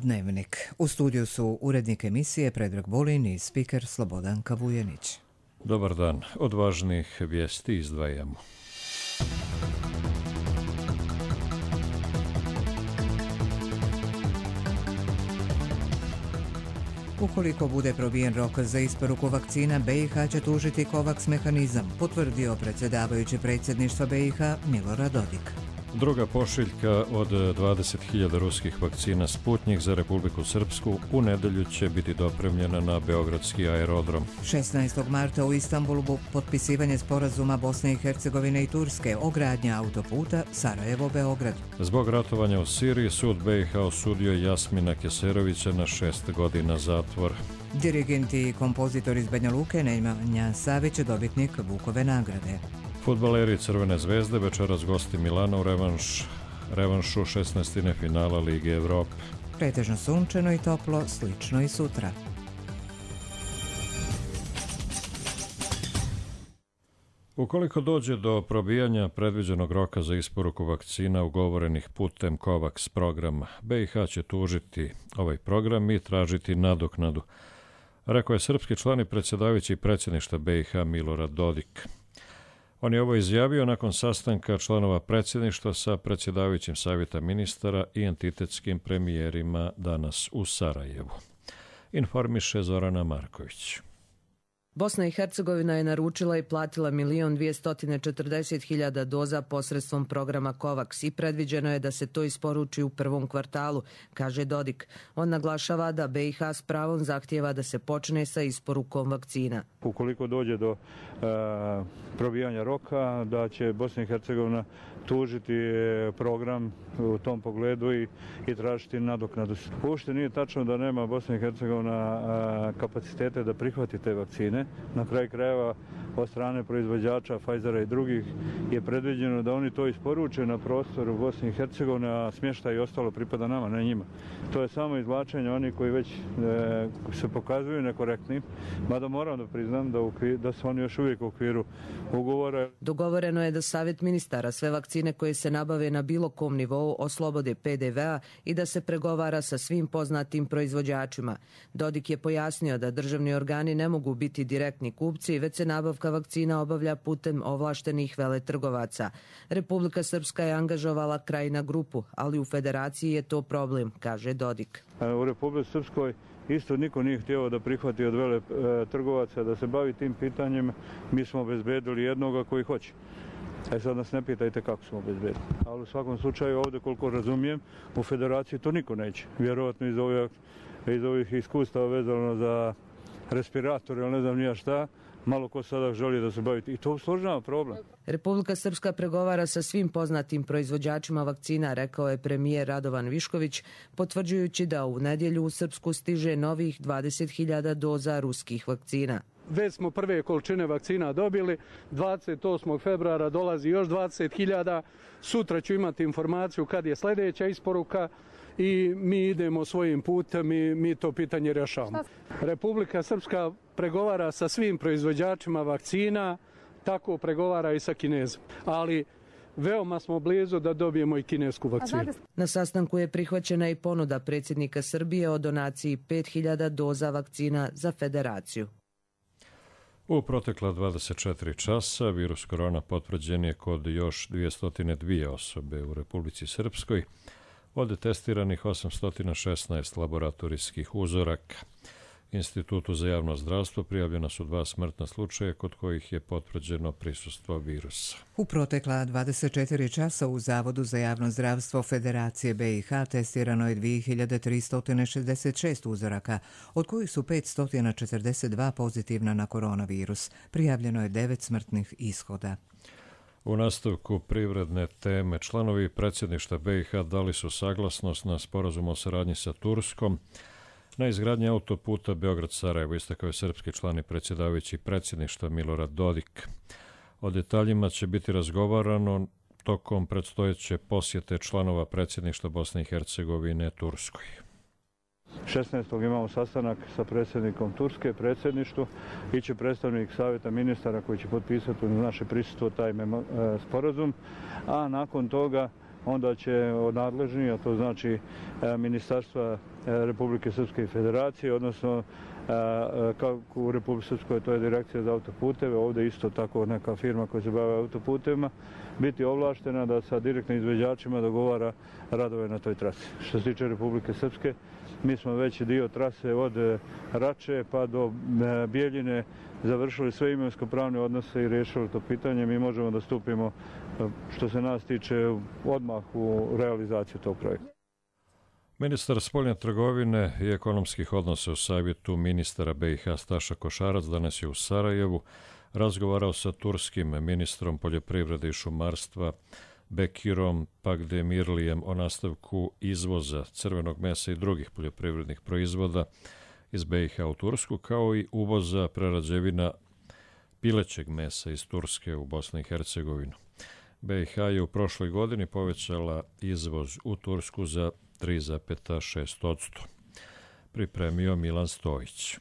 Dnevnik. U studiju su urednik emisije Predrag Bolin i spiker Slobodan Kavujenić. Dobar dan. Od važnih vijesti izdvajamo. Ukoliko bude probijen rok za isporuku vakcina, BiH će tužiti COVAX mehanizam, potvrdio predsjedavajući predsjedništva BiH Milorad Dodik. Druga pošiljka od 20.000 ruskih vakcina Sputnjik za Republiku Srpsku u nedelju će biti dopremljena na beogradski aerodrom. 16. marta u Istanbulu potpisivanje sporazuma Bosne i Hercegovine i Turske o gradnji autoputa Sarajevo-Beograd. Zbog ratovanja u Siriji, sud BiH osudio Jasmina Keserovića na 6 godina zatvora. Dirigent i kompozitor iz Banja Luke Nemanja Savić, dobitnik Vukove nagrade. Fudbaleri Crvene zvezde večeras gosti Milana u revanšu 16. finala Lige Evrope. Pretežno sunčano i toplo, slično i sutra. Ukoliko dođe do probijanja predviđenog roka za isporuku vakcina ugovorenih putem COVAX programa, BiH će tužiti ovaj program i tražiti nadoknadu, rekao je srpski član i predsjedavajući predsjedništva BiH Milorad Dodik. On je ovo izjavio nakon sastanka članova predsjedništva sa predsjedavajućim savjeta ministara i entitetskim premijerima danas u Sarajevu. Informiše Zorana Marković. Bosna i Hercegovina je naručila i platila 1.240.000 doza posredstvom programa COVAX i predviđeno je da se to isporuči u prvom kvartalu, kaže Dodik. On naglašava da BiH s pravom zahtijeva da se počne sa isporukom vakcina. Ukoliko dođe do probijanja roka, da će Bosna i Hercegovina tužiti program u tom pogledu i tražiti nadoknadu. Uopšte nije tačno da nema Bosna i Hercegovina kapacitete da prihvati te vakcine. Na kraju krajeva od strane proizvođača Pfizera i drugih je predviđeno da oni to isporuče na prostoru Bosne i Hercegovine, a smještaj i ostalo pripada nama, ne njima. To je samo izvlačenje onih koji već se pokazuju nekorektnim, mada moram da priznam da su oni još uvijek u okviru ugovora. Dogovoreno je da Savjet ministara sve vakcine koje se nabave na bilo kom nivou oslobode PDV-a i da se pregovara sa svim poznatim proizvođačima. Dodik je pojasnio da državni organi ne mogu biti direktni kupci, već se nabavka vakcina obavlja putem ovlaštenih veletrgovaca. Republika Srpska je angažovala Krajina grupu, ali u federaciji je to problem, kaže Dodik. U Republici Srpskoj isto niko nije htio da prihvati od veletrgovaca da se bavi tim pitanjem. Mi smo obezbedili jednoga koji hoće. Sad nas ne pitajte kako smo obezbedili. Ali u svakom slučaju ovdje, koliko razumijem, u federaciji to niko neće. Vjerojatno iz ovih iskustava vezano za respirator ili ne znam nija šta, malo ko sada želi da se bavi. I to usložnjava problem. Republika Srpska pregovara sa svim poznatim proizvođačima vakcina, rekao je premijer Radovan Višković, potvrđujući da u nedjelju u Srpsku stiže novih 20.000 doza ruskih vakcina. Već smo prve količine vakcina dobili, 28. februara dolazi još 20.000, sutra ću imati informaciju kad je sljedeća isporuka i mi idemo svojim putem i mi to pitanje rješavamo. Republika Srpska pregovara sa svim proizvođačima vakcina, tako pregovara i sa Kinezom, ali veoma smo blizu da dobijemo i kinesku vakcinu. Na sastanku je prihvaćena i ponuda predsjednika Srbije o donaciji 5.000 doza vakcina za federaciju. U protekla 24 časa virus korona potvrđen je kod još 202 osobe u Republici Srpskoj, od testiranih 816 laboratorijskih uzoraka. Institutu za javno zdravstvo prijavljena su 2 smrtna slučaja kod kojih je potvrđeno prisustvo virusa. U protekla 24 časa u Zavodu za javno zdravstvo Federacije BiH testirano je 2366 uzoraka, od kojih su 542 pozitivna na koronavirus. Prijavljeno je 9 smrtnih ishoda. U nastavku privredne teme članovi predsjedništva BiH dali su saglasnost na sporazum o saradnji sa Turskom na izgradnji autoputa Beograd-Sarajevo, istakao je srpski član i predsjedavajući predsjedništva Milorad Dodik. O detaljima će biti razgovarano tokom predstojeće posjete članova predsjedništva Bosne i Hercegovine Turskoj. 16. imamo sastanak sa predsjednikom Turske, predsjedništvu, iće predstavnik savjeta ministara koji će potpisati u naše prisustvo taj sporazum, a nakon toga onda će nadležni, a to znači Ministarstva Republike Srpske Federacije, odnosno kako u Republike Srpskoj to je Direkcija za autoputeve, ovdje isto tako neka firma koja se bave autoputevima, biti ovlaštena da sa direktnim izvođačima dogovara radove na toj trasi. Što se tiče Republike Srpske, mi smo već dio trase od Rače pa do Bijeljine završili sve imovinsko-pravne odnose i riješili to pitanje. Mi možemo da stupimo, što se nas tiče, odmah u realizaciju tog projekta. Ministar spoljne trgovine i ekonomskih odnosa u savjetu ministara BiH Staša Košarac danas je u Sarajevu razgovarao sa turskim ministrom poljoprivrede i šumarstva Bekirom Pagdemirlijem o nastavku izvoza crvenog mesa i drugih poljoprivrednih proizvoda iz BiH u Tursku, kao i uvoza prerađevina pilećeg mesa iz Turske u Bosnu i Hercegovinu. BiH je u prošloj godini povećala izvoz u Tursku za 3,6%. Pripremio Milan Stojić.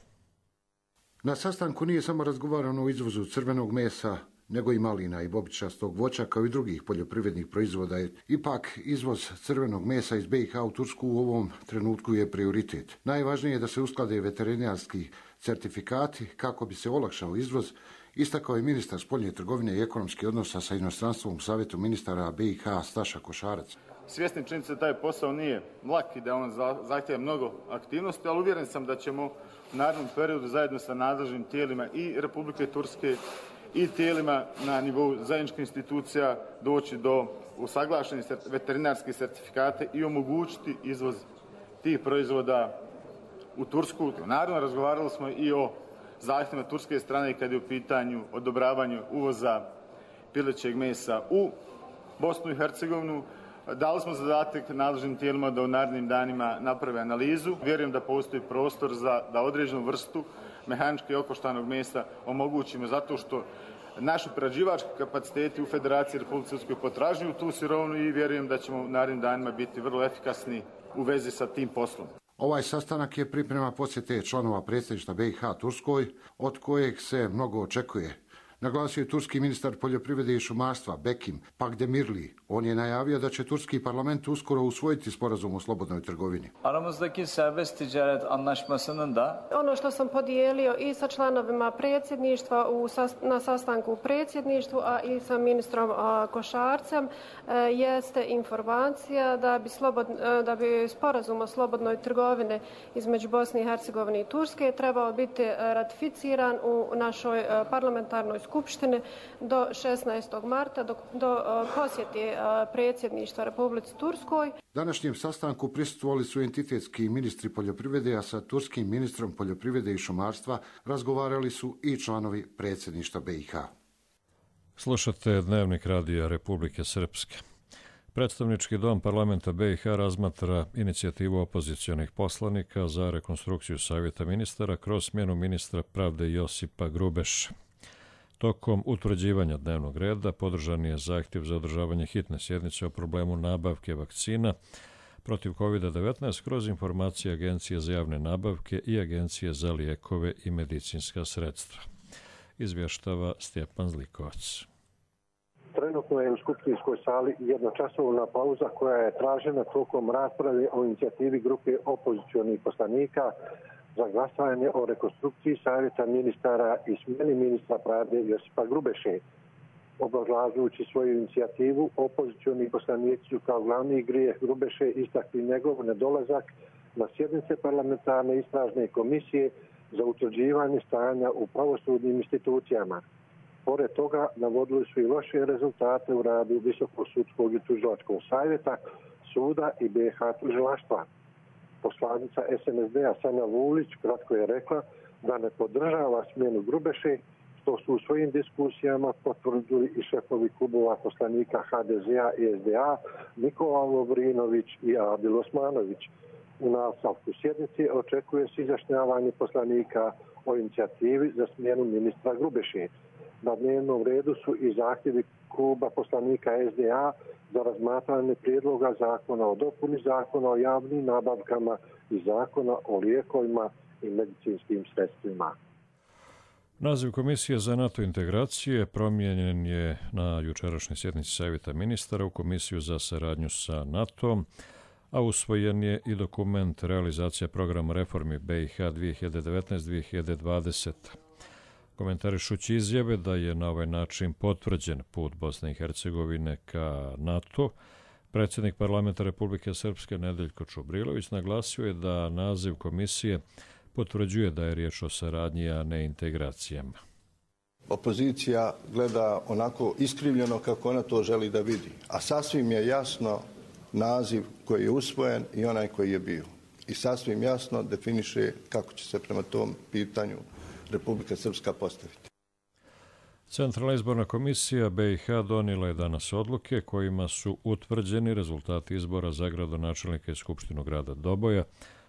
Na sastanku nije samo razgovarano o izvozu crvenog mesa, nego i malina i bobičastog voća, kao i drugih poljoprivrednih proizvoda. Ipak, izvoz crvenog mesa iz BiH u Tursku u ovom trenutku je prioritet. Najvažnije je da se usklade veterinarski certifikati kako bi se olakšao izvoz, istakao je ministar spoljne trgovine i ekonomskih odnosa sa inostranstvom u savjetu ministara BiH Staša Košarac. Svjesni činjenice da taj posao nije lak i da on zahtjeva mnogo aktivnosti, ali uvjeren sam da ćemo u narednom periodu zajedno sa nadležnim tijelima i Republike Turske i tijelima na nivou zajedničkih institucija doći do usaglašenih veterinarskih certifikata i omogućiti izvoz tih proizvoda u Tursku. Naravno, razgovarali smo i o zahtjevima turske strane kad je u pitanju odobravanje uvoza pilećeg mesa u Bosnu i Hercegovinu. Dali smo zadatak nadležnim tijelima da u narednim danima naprave analizu. Vjerujem da postoji prostor da određenu vrstu mehanički okoštanog mesa omogućimo, zato što naši prerađivački kapaciteti u Federaciji Republike Srpskoj potražuju tu sirovinu i vjerujem da ćemo u narednim danima biti vrlo efikasni u vezi sa tim poslom. Ovaj sastanak je priprema posjete članova predsjedništva BiH Turskoj, od kojeg se mnogo očekuje. Naglasio je turski ministar poljoprivrede i šumarstva Bekim Pagdemirli. On je najavio da će turski parlament uskoro usvojiti sporazum o slobodnoj trgovini. Aramızdaki serbest ticaret anlaşmasının da ono što sam podijelio i sa članovima predsjedništva na sastanku u predsjedništvu, a i sa ministrom Košarcem, jeste informacija da bi sporazum o slobodnoj trgovini između Bosne i Hercegovine i Turske trebao biti ratificiran u našoj parlamentarnoj skupštini do 16. marta, do posjeti predsjedništva Republici Turskoj. Današnjem sastanku prisustvovali su entitetski ministri poljoprivrede, a sa turskim ministrom poljoprivrede i šumarstva razgovarali su i članovi predsjedništva BiH. Slušate Dnevnik radija Republike Srpske. Predstavnički dom parlamenta BiH razmatra inicijativu opozicionih poslanika za rekonstrukciju savjeta ministara kroz smjenu ministra pravde Josipa Grubeša. Tokom utvrđivanja dnevnog reda podržan je zahtjev za održavanje hitne sjednice o problemu nabavke vakcina protiv COVID-19 kroz informacije Agencije za javne nabavke i Agencije za lijekove i medicinska sredstva. Izvještava Stjepan Zlikovac. Trenutno je u skupštinskoj sali jednočasovna pauza koja je tražena tokom rasprave o inicijativi grupe opozicionih poslanika za glasovanje o rekonstrukciji savjeta ministara i smjeni ministra pravde Josipa Grubeše. Obrazlažujući svoju inicijativu, opozicioni poslanici su kao glavni grijeh Grubeše istakli njegov nedolazak na sjednice parlamentarne istražne komisije za utvrđivanje stanja u pravosudnim institucijama. Pored toga, navodili su i loše rezultate u radu Visokog sudskog i tužilačkog savjeta, suda i BiH tužilaštva. Poslanica SNSD-a Sanja Vulić kratko je rekla da ne podržava smjenu Grubeše, što su u svojim diskusijama potvrdili i šefovi klubova poslanika HDZ-a i SDA Nikola Lovrinović i Adil Osmanović. U nastavku sjednice očekuje se izjašnjavanje poslanika o inicijativi za smjenu ministra Grubeše. Na dnevnom redu su i zahtjevi kluba poslanika SDA za razmatranje prijedloga zakona o dopuni zakona o javnim nabavkama i zakona o lijekovima i medicinskim sredstvima. Naziv Komisije za NATO integracije promijenjen je na jučerašnjoj sjednici Savjeta ministara u Komisiju za saradnju sa NATO-om, a usvojen je i dokument realizacija programa reformi BiH 2019-2020. Komentarišući izjave da je na ovaj način potvrđen put Bosne i Hercegovine ka NATO, predsjednik parlamenta Republike Srpske Nedeljko Čubrilović naglasio je da naziv komisije potvrđuje da je riječ o saradnji, a ne integracijama. Opozicija gleda onako iskrivljeno kako ona to želi da vidi, a sasvim je jasno naziv koji je usvojen i onaj koji je bio. I sasvim jasno definiše kako će se prema tom pitanju Republika Srpska postaviti. Centralna izborna komisija BiH donijela je danas odluke kojima su utvrđeni rezultati izbora za gradonačelnika i skupštinu grada Doboja,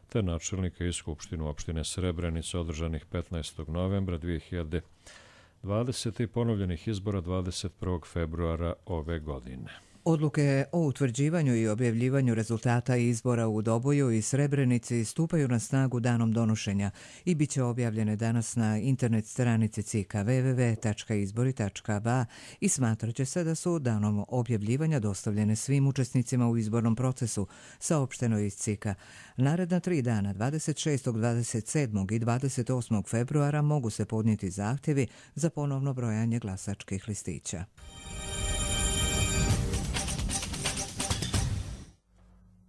te načelnika i skupštinu opštine Srebrenica održanih 15. novembra 2020. i ponovljenih izbora 21. februara ove godine. Odluke o utvrđivanju i objavljivanju rezultata izbora u Doboju i Srebrenici stupaju na snagu danom donošenja i bit će objavljene danas na internet stranici CIK-a www.izbori.ba i smatrat će se da su danom objavljivanja dostavljene svim učesnicima u izbornom procesu, saopšteno iz CIK-a. Naredna 3 dana, 26., 27. i 28. februara, mogu se podnijeti zahtjevi za ponovno brojanje glasačkih listića.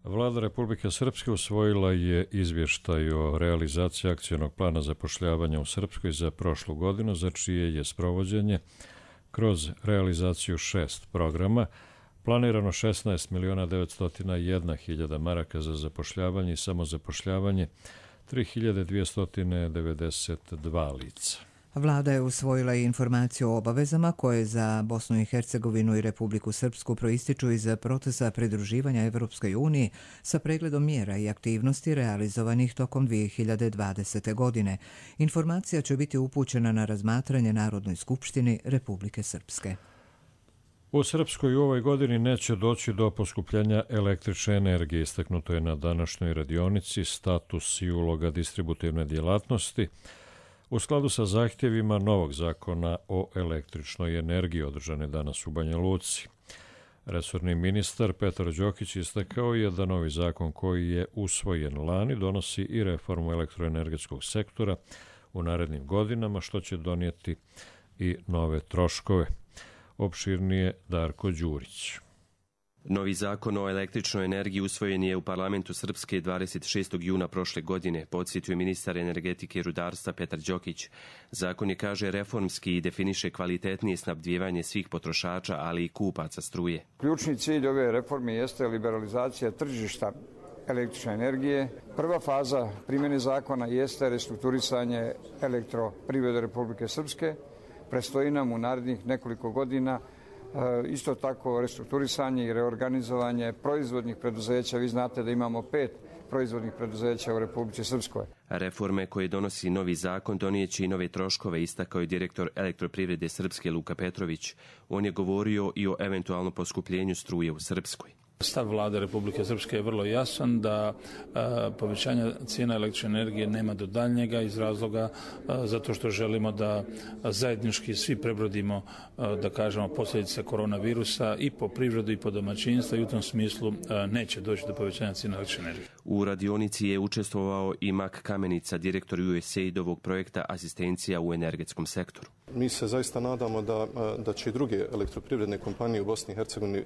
Vlada Republike Srpske usvojila je izvještaj o realizaciji akcionog plana zapošljavanja u Srpskoj za prošlu godinu, za čije je sprovođenje kroz realizaciju 6 programa planirano 16.901.000 maraka za zapošljavanje i samozapošljavanje 3.292 lica. Vlada je usvojila i informaciju o obavezama koje za Bosnu i Hercegovinu i Republiku Srpsku proističu iz procesa pridruživanja Evropskoj uniji sa pregledom mjera i aktivnosti realizovanih tokom 2020. godine. Informacija će biti upućena na razmatranje Narodnoj skupštini Republike Srpske. U Srpskoj u ovoj godini neće doći do poskupljenja električne energije, istaknuto je na današnjoj radionici status i uloga distributivne djelatnosti, u skladu sa zahtjevima novog zakona o električnoj energiji održane danas u Banja Luci. Resorni ministar Petar Đokić istakao je da novi zakon koji je usvojen lani donosi i reformu elektroenergetskog sektora u narednim godinama, što će donijeti i nove troškove. Opširnije Darko Đurić. Novi zakon o električnoj energiji usvojen je u parlamentu Srpske 26. juna prošle godine, podsjetio ministar energetike i rudarstva Petar Đokić. Zakon je, kaže, reformski i definiše kvalitetnije snabdijevanje svih potrošača, ali i kupaca struje. Ključni cilj ove reforme jeste liberalizacija tržišta električne energije. Prva faza primjene zakona jeste restrukturisanje elektroprivrede Republike Srpske. Predstoji nam u narednih nekoliko godina isto tako restrukturisanje i reorganizovanje proizvodnih preduzeća. Vi znate da imamo 5 proizvodnih preduzeća u Republici Srpskoj. Reforme koje donosi novi zakon donijeće i nove troškove, istakao je direktor elektroprivrede Srpske Luka Petrović. On je govorio i o eventualnom poskupljenju struje u Srpskoj. Stav vlade Republike Srpske je vrlo jasan da povećanja cijena električne energije nema do daljnjega iz razloga zato što želimo da zajednički svi prebrodimo, da kažemo, posljedice koronavirusa i po privredu i po domaćinstva i u tom smislu neće doći do povećanja cijena električne energije. U radionici je učestvovao i Mak Kamenica, direktor USAID-ovog projekta Asistencija u energetskom sektoru. Mi se zaista nadamo da će i druge elektroprivredne kompanije u Bosni i Hercegovini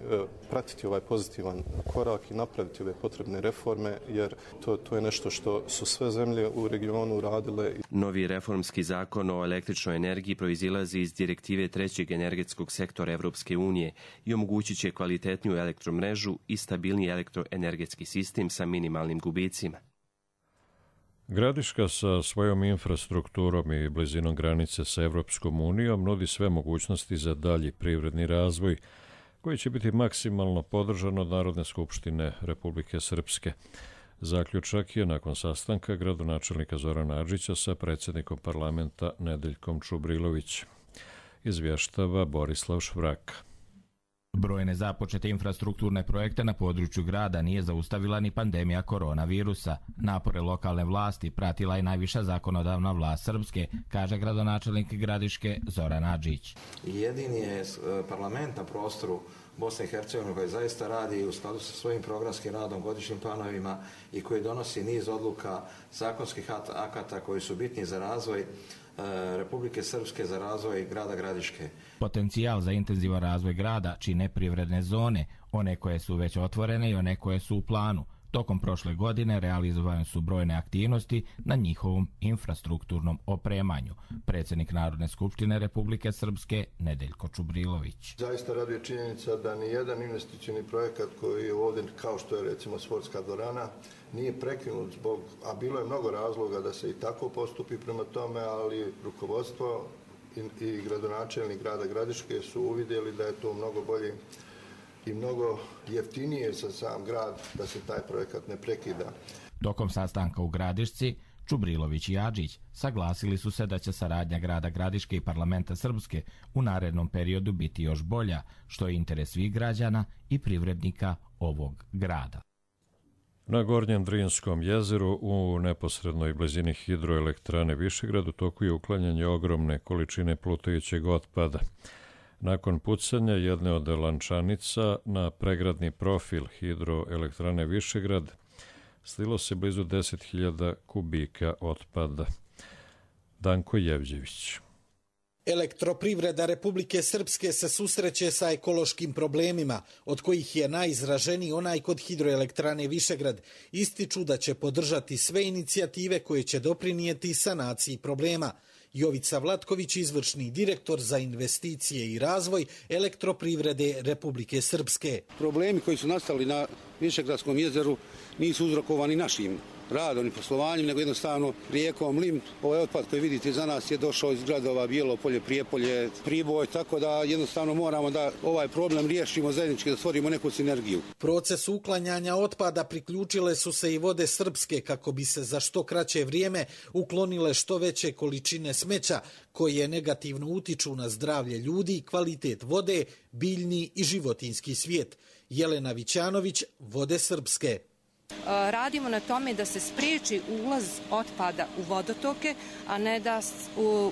pratiti ovaj pozitivan korak i napraviti ove potrebne reforme, jer to je nešto što su sve zemlje u regionu radile. Novi reformski zakon o električnoj energiji proizilazi iz direktive trećeg energetskog sektora Evropske unije i omogućit će kvalitetniju elektromrežu i stabilniji elektroenergetski sistem sa minimalnim gubicima. Gradiška sa svojom infrastrukturom i blizinom granice sa Evropskom unijom nudi sve mogućnosti za dalji privredni razvoj, koji će biti maksimalno podržan od Narodne skupštine Republike Srpske. Zaključak je nakon sastanka gradonačelnika Zorana Adžića sa predsjednikom parlamenta Nedeljkom Čubrilović. Izvještava Borislav Švraka. Brojne započete infrastrukturne projekte na području grada nije zaustavila ni pandemija koronavirusa. Napore lokalne vlasti pratila je najviša zakonodavna vlast Srpske, kaže gradonačelnik Gradiške Zoran Adžić. Jedini je parlament na prostoru Bosne i Hercegovine koji zaista radi u skladu sa svojim programskim radom, godišnjim planovima i koji donosi niz odluka, zakonskih akata koji su bitni za razvoj Republike Srpske, za razvoj grada Gradiške. Potencijal za intenzivan razvoj grada čine privredne zone, one koje su već otvorene i one koje su u planu. Tokom prošle godine realizovane su brojne aktivnosti na njihovom infrastrukturnom opremanju. Predsjednik Narodne skupštine Republike Srpske Nedeljko Čubrilović. Zaista raduje činjenica da ni jedan investicioni projekat koji je ovdje, kao što je recimo sportska dvorana, nije prekinut zbog, a bilo je mnogo razloga da se i tako postupi prema tome, ali rukovodstvo i gradonačelnik grada Gradiške su uvidjeli da je to mnogo bolje i mnogo jeftinije za sam grad da se taj projekat ne prekida. Tokom sastanka u Gradišci, Čubrilović i Adžić saglasili su se da će saradnja grada Gradiške i parlamenta Srpske u narednom periodu biti još bolja, što je interes svih građana i privrednika ovog grada. Na Gornjem Drinskom jezeru u neposrednoj blizini hidroelektrane Višegrad u toku je uklanjanje ogromne količine plutajućeg otpada. Nakon pucanja jedne od lančanica na pregradni profil hidroelektrane Višegrad slilo se blizu 10.000 kubika otpada. Danko Jevđević. Elektroprivreda Republike Srpske se susreće sa ekološkim problemima, od kojih je najizraženiji onaj kod hidroelektrane Višegrad. Ističu da će podržati sve inicijative koje će doprinijeti sanaciji problema. Jovica Vlatković, izvršni direktor za investicije i razvoj Elektroprivrede Republike Srpske. Problemi koji su nastali na Višegradskom jezeru nisu uzrokovani našim radom i poslovanjem, nego jednostavno rijekom Lim. Ovaj otpad koji vidite za nas je došao iz gradova Bijelopolje, Prijepolje, Priboj, tako da jednostavno moramo da ovaj problem riješimo zajednički, da stvorimo neku sinergiju. Proces uklanjanja otpada priključile su se i Vode Srpske kako bi se za što kraće vrijeme uklonile što veće količine smeća koje negativno utiču na zdravlje ljudi, kvalitet vode, biljni i životinjski svijet. Jelena Vićanović, Vode Srpske. Radimo na tome da se spriječi ulaz otpada u vodotoke, a ne da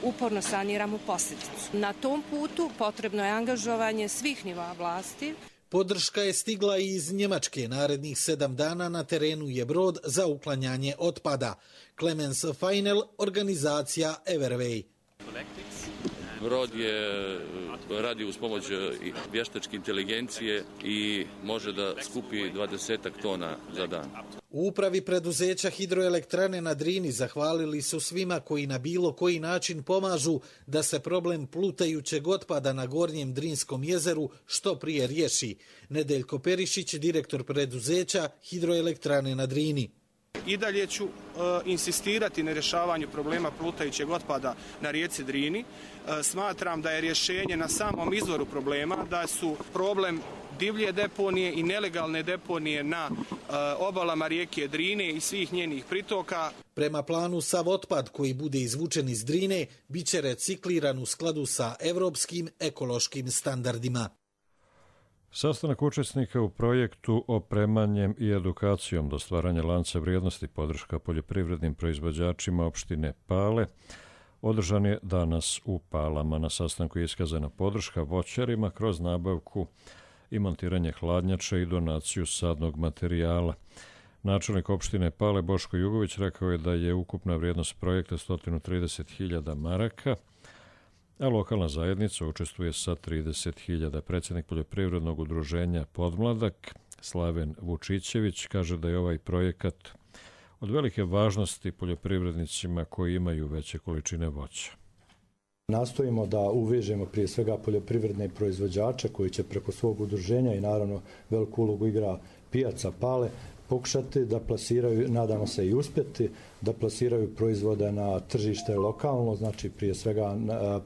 uporno saniramo posljedicu. Na tom putu potrebno je angažovanje svih nivoa vlasti. Podrška je stigla i iz Njemačke. Narednih 7 dana na terenu je brod za uklanjanje otpada. Clemens Feinel, organizacija Everway. Brod radi uz pomoć vještačke inteligencije i može da skupi 20 tona za dan. U upravi preduzeća hidroelektrane na Drini zahvalili su svima koji na bilo koji način pomažu da se problem plutajućeg otpada na Gornjem Drinskom jezeru što prije riješi. Nedeljko Perišić, direktor preduzeća hidroelektrane na Drini. I dalje ću insistirati na rješavanju problema plutajućeg otpada na rijeci Drini. Smatram da je rješenje na samom izvoru problema, da su problem divlje deponije i nelegalne deponije na obalama rijeke Drine i svih njenih pritoka. Prema planu, sav otpad koji bude izvučen iz Drine biće recikliran u skladu sa evropskim ekološkim standardima. Sastanak učesnika u projektu opremanjem i edukacijom do stvaranja lanca vrijednosti podrška poljoprivrednim proizvođačima opštine Pale održan je danas u Palama. Na sastanku je iskazana podrška voćarima kroz nabavku i montiranje hladnjača i donaciju sadnog materijala. Načelnik opštine Pale Boško Jugović rekao je da je ukupna vrijednost projekta 130.000 maraka, a lokalna zajednica učestvuje sa 30.000. Predsjednik poljoprivrednog udruženja Podmladak Slaven Vučićević kaže da je ovaj projekat od velike važnosti poljoprivrednicima koji imaju veće količine voća. Nastojimo da uvežemo prije svega poljoprivredne proizvođače koji će preko svog udruženja i naravno veliku ulogu igra pijaca Pale pokušati da plasiraju, nadamo se i uspjeti, da plasiraju proizvode na tržište lokalno, znači prije svega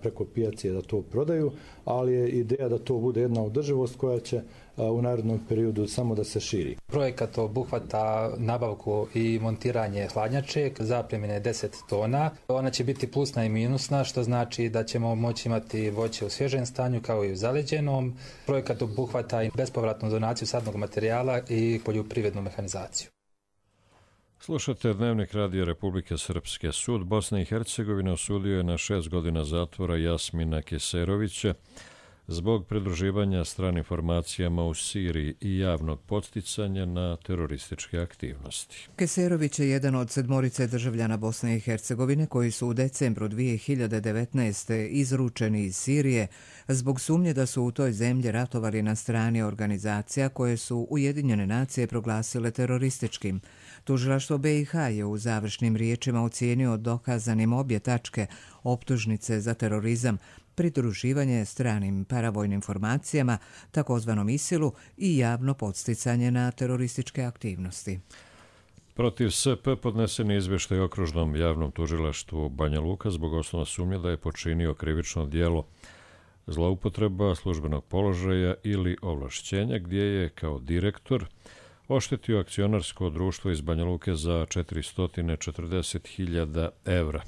preko pijace da to prodaju, ali je ideja da to bude jedna održivost koja će u narednom periodu samo da se širi. Projekat obuhvata nabavku i montiranje hladnjače, zapremine 10 tona. Ona će biti plusna i minusna, što znači da ćemo moći imati voće u svježem stanju kao i u zaleđenom. Projekat obuhvata i bespovratnu donaciju sadnog materijala i poljoprivrednu mehanizaciju. Slušate Dnevnik Radija Republike Srpske. Sud Bosne i Hercegovine osudio je na 6 godina zatvora Jasmina Keserovića zbog pridruživanja stranim formacijama u Siriji i javnog podsticanja na terorističke aktivnosti. Keserović je jedan od 7 državljana Bosne i Hercegovine koji su u decembru 2019. izručeni iz Sirije zbog sumnje da su u toj zemlji ratovali na strani organizacija koje su Ujedinjene nacije proglasile terorističkim. Tužilaštvo BiH je u završnim riječima ocijenio dokazanim obje tačke optužnice za terorizam, pridruživanje stranim paravojnim formacijama, takozvanom ISIL-u i javno podsticanje na terorističke aktivnosti. Protiv SP podnesen je izvještaj okružnom javnom tužilaštvu Banja Luka zbog osnovne sumnje da je počinio krivično djelo zloupotreba službenog položaja ili ovlašćenja, gdje je kao direktor oštetio akcionarsko društvo iz Banja Luke za 440.000 evra.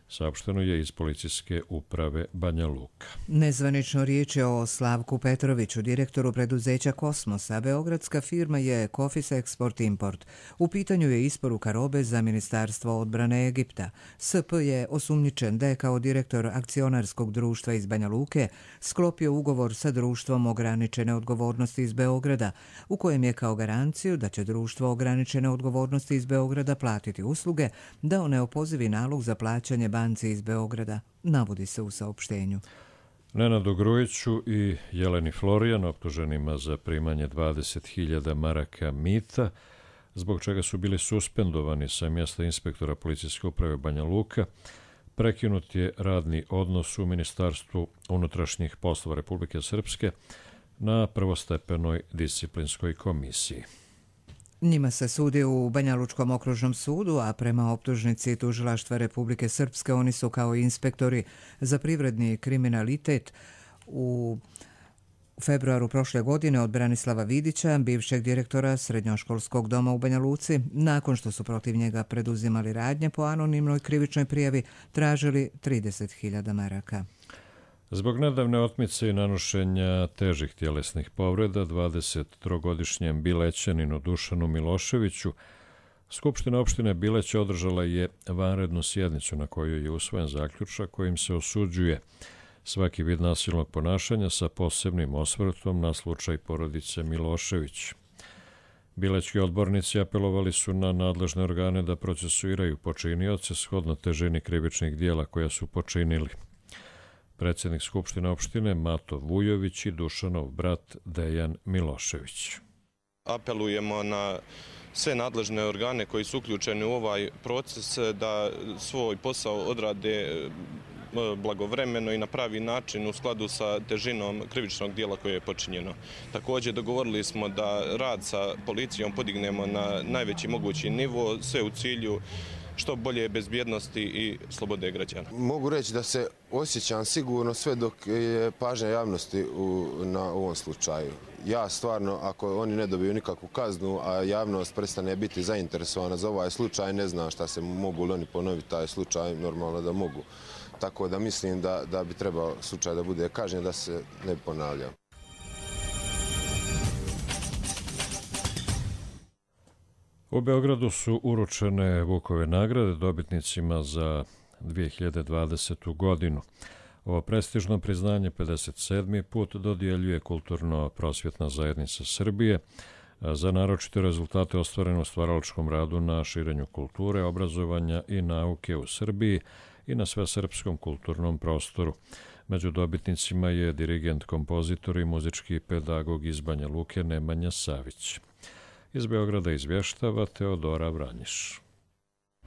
Saopšteno je iz policijske uprave Banja Luka. Nezvanično riječ je o Slavku Petroviću, direktoru preduzeća Kosmosa. Beogradska firma je Kofis Export Import. U pitanju je isporuka robe za Ministarstvo odbrane Egipta. SP je osumnjičen da je kao direktor akcionarskog društva iz Banja Luke sklopio ugovor sa društvom ograničene odgovornosti iz Beograda, u kojem je kao garanciju da će društvo ograničene odgovornosti iz Beograda platiti usluge, dao neopozivi nalog za plaćanje banci iz Beograda, navodi se u saopštenju. Nenadu Grujiću i Jeleni Florijan, optuženima za primanje 20.000 maraka mita, zbog čega su bili suspendovani sa mjesta inspektora policijske uprave Banja Luka, prekinut je radni odnos u Ministarstvu unutrašnjih poslova Republike Srpske na prvostepenoj disciplinskoj komisiji. Njima se sudi u Banja Lučkom okružnom sudu, a prema optužnici Tužilaštva Republike Srpske oni su kao inspektori za privredni kriminalitet u februaru prošle godine od Branislava Vidića, bivšeg direktora srednjoškolskog doma u Banja Luci, nakon što su protiv njega preduzimali radnje po anonimnoj krivičnoj prijavi, tražili 30.000 maraka. Zbog nedavne otmice i nanošenja težih tjelesnih povreda 23-godišnjem Bilećaninu Dušanu Miloševiću, Skupština opštine Bileć održala je vanrednu sjednicu na kojoj je usvojen zaključak kojim se osuđuje svaki vid nasilnog ponašanja sa posebnim osvrtom na slučaj porodice Milošević. Bilećki odbornici apelovali su na nadležne organe da procesuiraju počinioce shodno težini krivičnih dijela koja su počinili. Predsjednik Skupštine opštine Mato Vujović i Dušanov brat Dejan Milošević. Apelujemo na sve nadležne organe koji su uključeni u ovaj proces da svoj posao odrade blagovremeno i na pravi način u skladu sa težinom krivičnog dijela koje je počinjeno. Također dogovorili smo da rad sa policijom podignemo na najveći mogući nivo, sve u cilju što bolje bezbjednosti i slobode građana. Mogu reći da se osjećam sigurno sve dok je pažnja javnosti na ovom slučaju. Ja stvarno, ako oni ne dobiju nikakvu kaznu, a javnost prestane biti zainteresovana za ovaj slučaj, ne znam šta se mogu li oni ponoviti taj slučaj, normalno da mogu. Tako da mislim da bi trebao slučaj da bude kažnjen, da se ne bi ponavljao. U Beogradu su uručene Vukove nagrade dobitnicima za 2020. godinu. Ovo prestižno priznanje 57. put dodjeljuje Kulturno-prosvjetna zajednica Srbije za naročite rezultate ostvarene u stvaralačkom radu na širenju kulture, obrazovanja i nauke u Srbiji i na svesrpskom kulturnom prostoru. Među dobitnicima je dirigent, kompozitor i muzički pedagog iz Banja Luke Nemanja Savić. Iz Beograda izvještava Teodora Vranjiš.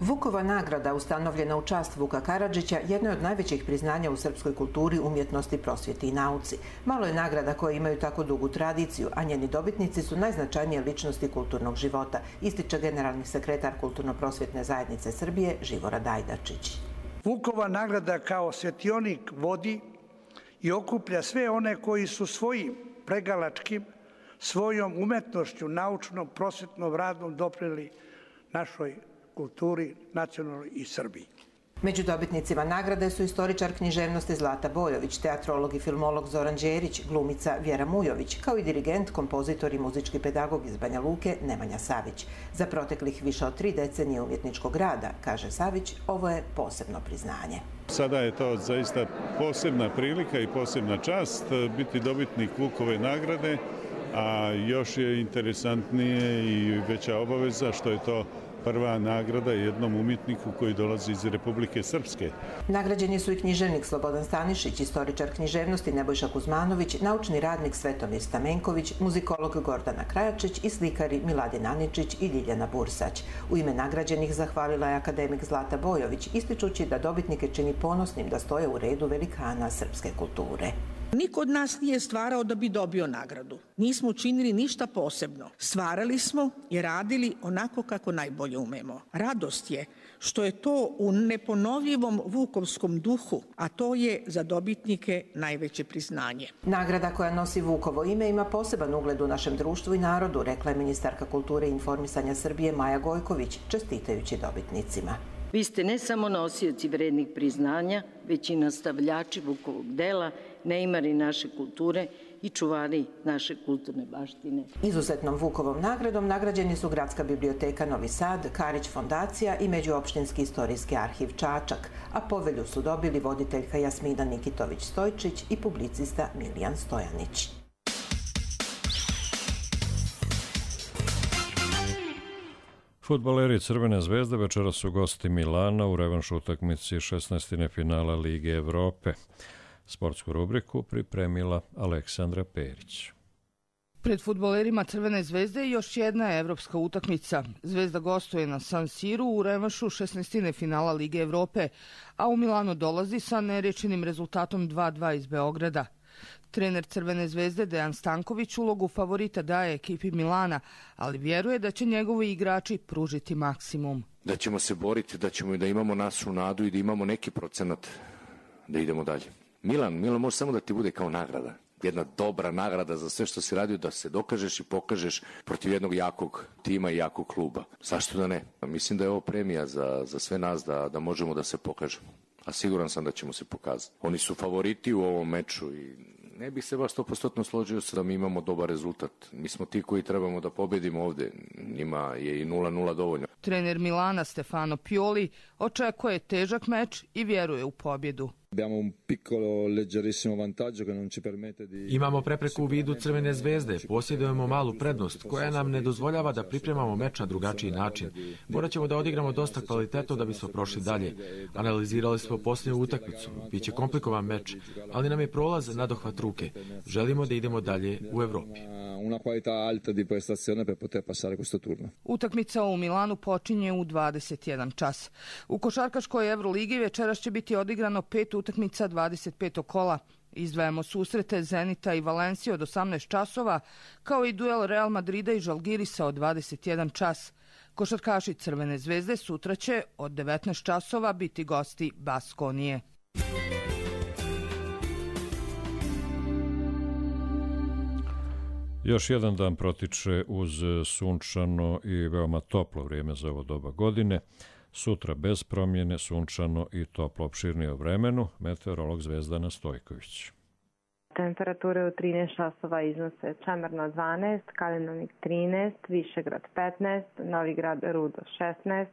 Vukova nagrada, ustanovljena u čast Vuka Karadžića, jedno je od najvećih priznanja u srpskoj kulturi, umjetnosti, prosvjeti i nauci. Malo je nagrada koje imaju tako dugu tradiciju, a njeni dobitnici su najznačajnije ličnosti kulturnog života, ističe generalni sekretar Kulturno-prosvjetne zajednice Srbije Živorad Ajdačić. Vukova nagrada kao svjetionik vodi i okuplja sve one koji su svojim pregalačkim, svojom umetnošću, naučnom, prosvjetnom radom doprinijeli našoj kulturi, nacionalnoj i Srbiji. Među dobitnicima nagrade su istoričar književnosti Zlata Bojović, teatrolog i filmolog Zoran Đerić, glumica Vjera Mujović, kao i dirigent, kompozitor i muzički pedagog iz Banja Luke Nemanja Savić. Za proteklih više od 3 decenije umjetničkog rada, kaže Savić, ovo je posebno priznanje. Sada je to zaista posebna prilika i posebna čast biti dobitnik Vukove nagrade, a još je interesantnije i veća obaveza što je to prva nagrada jednom umjetniku koji dolazi iz Republike Srpske. Nagrađeni su i književnik Slobodan Stanišić, istoričar književnosti Nebojša Kuzmanović, naučni radnik Svetomir Stamenković, muzikolog Gordana Krajačić i slikari Miladin Aničić i Ljiljana Bursać. U ime nagrađenih zahvalila je akademik Zlata Bojović, ističući da dobitnike čini ponosnim da stoje u redu velikana srpske kulture. Niko od nas nije stvarao da bi dobio nagradu. Nismo učinili ništa posebno. Stvarali smo i radili onako kako najbolje umemo. Radost je što je to u neponovljivom vukovskom duhu, a to je za dobitnike najveće priznanje. Nagrada koja nosi Vukovo ime ima poseban ugled u našem društvu i narodu, rekla je ministarka kulture i informisanja Srbije Maja Gojković, čestitajući dobitnicima. Vi ste ne samo nosioci vrednih priznanja, već i nastavljači Vukovog dela, neimari naše kulture i čuvari naše kulturne baštine. Izuzetnom Vukovom nagradom nagrađeni su Gradska biblioteka Novi Sad, Karić fondacija i Međuopštinski istorijski arhiv Čačak, a povelju su dobili voditeljka Jasmina Nikitović-Stojčić i publicista Milijan Stojanić. Fudbaleri Crvene zvezde večeras su gosti Milana u revanš utakmici 16. finala Lige Evrope. Sportsku rubriku pripremila Aleksandra Perić. Pred fudbalerima Crvene zvezde još jedna evropska utakmica. Zvezda gostuje na San Siru u revanšu 16. finala Lige Evrope, a u Milano dolazi sa nerečenim rezultatom 2:2 iz Beograda. Trener Crvene zvezde Dejan Stanković ulogu favorita daje ekipi Milana, ali vjeruje da će njegovi igrači pružiti maksimum. Da ćemo se boriti, da imamo našu nadu i da imamo neki procenat da idemo dalje. Milan može samo da ti bude kao nagrada. Jedna dobra nagrada za sve što si radio, da se dokažeš i pokažeš protiv jednog jakog tima i jakog kluba. Zašto da ne? Mislim da je ovo premija za sve nas da možemo da se pokažemo. A siguran sam da ćemo se pokazati. Oni su favoriti u ovom meču i ne bih se baš 100% složio da mi imamo dobar rezultat. Mi smo ti koji trebamo da pobedimo ovde. Njima je i 0:0 dovoljno. Trener Milana Stefano Pioli očekuje težak meč i vjeruje u pobjedu. Imamo prepreku u vidu Crvene zvezde, posjedujemo malu prednost koja nam ne dozvoljava da pripremamo meč na drugačiji način. Morat ćemo da odigramo dosta kvalitetno da bismo prošli dalje. Analizirali smo posljednju utakmicu, biće komplikovan meč, ali nam je prolaz nadohvat ruke. Želimo da idemo dalje u Evropi. Utakmica u Milanu počinje u 21 čas. U košarkaškoj Evroligi večeras će biti odigrano 5 utakmica 25. kola. Izdvajamo susrete Zenita i Valencije od 18 časova, kao i duel Real Madrida i Žalgirisa od 21 čas. Košarkaši Crvene zvezde sutra će od 19 časova biti gosti Baskonije. Još jedan dan protiče uz sunčano i veoma toplo vrijeme za ovo doba godine. Sutra bez promjene, sunčano i toplo. Opširnije o vremenu, meteorolog Zvezdana Stojković. Temperature u 13 časova iznose Čemerno 12, Kalinovnik 13, Višegrad 15, Novigrad Rudo 16,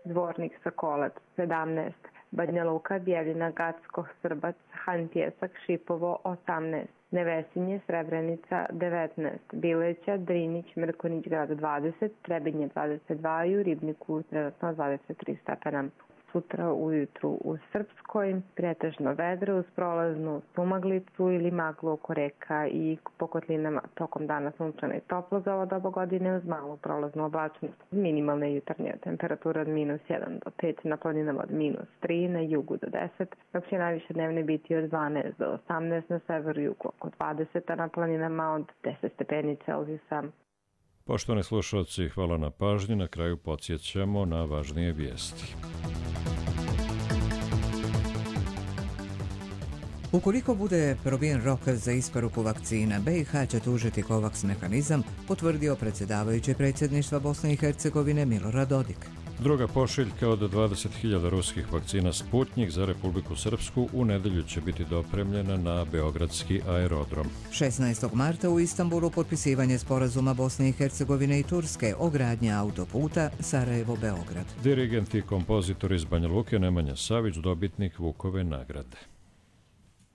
Dvornik Sokolac 17, Banja Luka, Bijeljina, Gacko, Srbac, Han Pjesak, Šipovo 18, Nevesinje, Srebrenica 19, Bileća, Drinić, Mrkonić grad 20, Trebinje 22 i u Ribniku trenutno 23 stepena. sutra ujutru u Srpskoj, pretežno vedro uz prolaznu sumaglicu ili maglu oko reka i po kotlinama tokom dana sunčano i toplo za ovo doba godine uz malu prolaznu oblačnost. Minimalne jutarnje temperature od -1 do 5, na planinama od -3, na jugu do 10, dok će najviše dnevne biti od 12 do 18, na severu i jugu oko 20, a na planinama od 10 stepeni Celzijusa. Poštovani slušalci, hvala na pažnji. Na kraju podsjećamo na važnije vijesti. Ukoliko bude probijen rok za isporuku vakcina, BiH će tužiti COVAX mehanizam, potvrdio predsjedavajući predsjedništva Bosne i Hercegovine Milorad Dodik. Druga pošiljka od 20.000 ruskih vakcina Sputnjik za Republiku Srpsku u nedelju će biti dopremljena na Beogradski aerodrom. 16. marta u Istanbulu potpisivanje sporazuma Bosne i Hercegovine i Turske o gradnji autoputa Sarajevo-Beograd. Dirigent i kompozitor iz Banja Luke Nemanja Savić, dobitnik Vukove nagrade.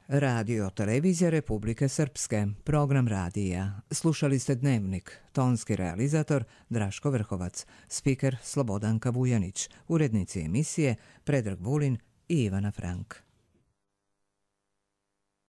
Radio Televizija Republike Srpske, program radija. Slušali ste Dnevnik, tonski realizator Draško Vrhovac, spiker Slobodanka Vujanić, urednici emisije Predrag Vulin i Ivana Frank.